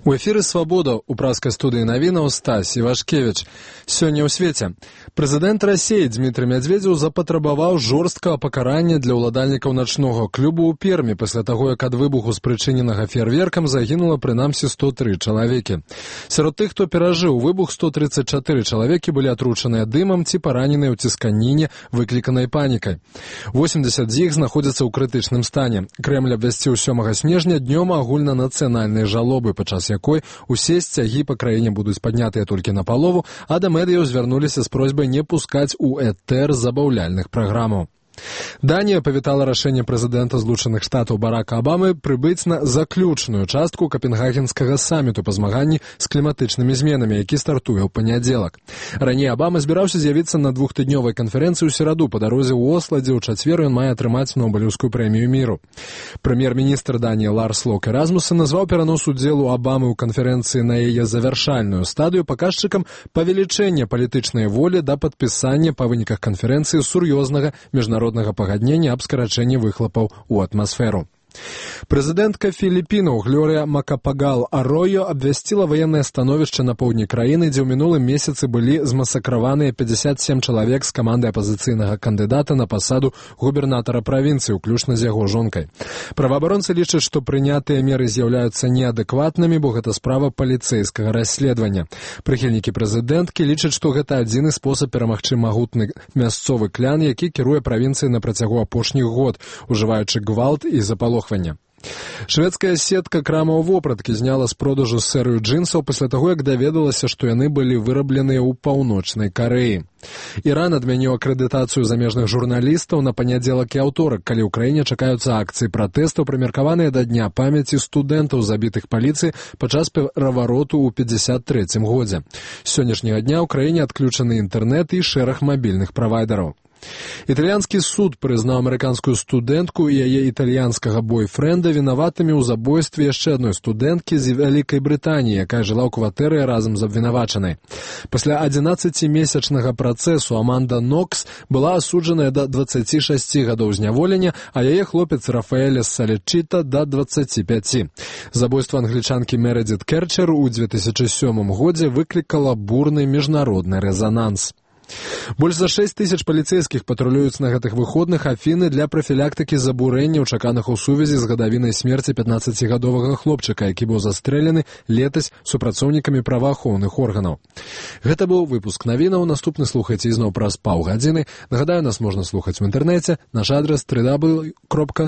У эфіры «Свабода» у праскай студыі навінаў Стась Івашкевіч. Сёння ў свеце. Прэзідэнт Расіі Дмітрый Мядзведзеў запатрабаваў жорсткага пакарання для ўладальнікаў начнога клубу ў Пермі пасля таго, як ад выбуху спрычыненага феерверкам загінула прынамсі 103 чалавекі. Сярод тых, хто перажыў выбух, 134 чалавекі былі атручаныя дымам ці параненыя ў цісканіне, выкліканай панікай. 80 з іх знаходзяцца ў крытычным стане. Крэмль абвясціў 7 снежня днём агульнанацыянальнай жалобы, падчас якой усе сцягі па краіне будуць паднятыя толькі напалову, а да медыяў звярнуліся з просьбай не пускаць у этэр забаўляльных праграмаў. Данія павітала рашэнне прэзідэнта Злучаных Штатаў Барака Абамы прыбыць на заключную частку капенгагенскага саміту па змаганні з кліматычнымі зменамі, які стартуе ў панядзелак. Раней Абама збіраўся з'явіцца на двухтыднёвай канферэнцыі ў сераду па дарозе ў Осла, дзе ў чацвер ён мае атрымаць Нобелеўскую прэмію міру. Прэм'ер-міністр Даніі Ларс Локе Расмуссен назваў перанос удзелу Абамы ў канферэнцыі на яе завяршальную стадыю паказчыкам павелічэння палітычнай волі да падпісання па выніках канферэнцыі сур'ёзнага міжнароднага пагаднення аб скарачэнні выхлапаў у атмасферу. Прэзідэнтка Філіпінаў Глорыя Макапагал Аройо абвясціла ваеннае становішча на поўдні краіны, дзе ў минулым месяцы былі змасакраваныя 57 чалавек з каманды апазіцыйнага кандыдата на пасаду губернатара правінцыі, уключна з яго жонкай. Праваабаронцы лічаць, што прынятыя меры з'яўляюцца неадэкватнымі, бо гэта справа паліцэйскага расследавання. Прыхільнікі прэзідэнткі лічаць, што гэта адзіны спосаб перамагчы магутны мясцовы клян, які кіруе правінцыяй на працягу апошніх год, ужываючы гвалт і запалохванне. Шведская сетка крамаў вопраткі зняла з продажу серыю джинсаў пасля таго, як даведалася, што яны былі вырабленыя ў Паўночнай Карэі. Іран адмяніў акрэдытацыю замежных журналістаў на панядзелак і аўторак, калі ў краіне чакаюцца акцыі пратэстаў, прымеркаваныя да дня памяці студэнтаў, забітых паліцыяй падчас перавароту ў 53-м годзе. З сённяшняга дня ў краіне адключаны інтэрнэт і шэраг мабільных правайдераў. Італьянскі суд прызнаў амерыканскую студэнтку і яе італьянскага бойфрэнда вінаватымі ў забойстве яшчэ адной студэнткі з Вялікай Брытаніі, якая жыла ў кватэры разам з абвінавачанай. Пасля 11-месячнага працэсу Аманда Нокс была асуджаная да 26 гадоў зняволення, а яе хлопец Рафаэля Салечіта да 25. Забойства англічанкі Мередзіт Керчер у 2007 годзе выклікала бурны міжнародны рэзананс. Больш за 6 тысяч паліцэйскіх патрулююць на гэтых выходных Афіны для прафілактыкі забурэнняў, чаканых у сувязі з гадавінай смерці 15-гадовага хлопчыка, які быў застрэлены летась супрацоўнікамі праваахоўных органаў. Гэта быў выпуск навінаў. Наступны слухайце ізноў праз паўгадзіны. Нагадаю, нас можна слухаць у інтэрнэце. Наш адрас www.swabodna.org.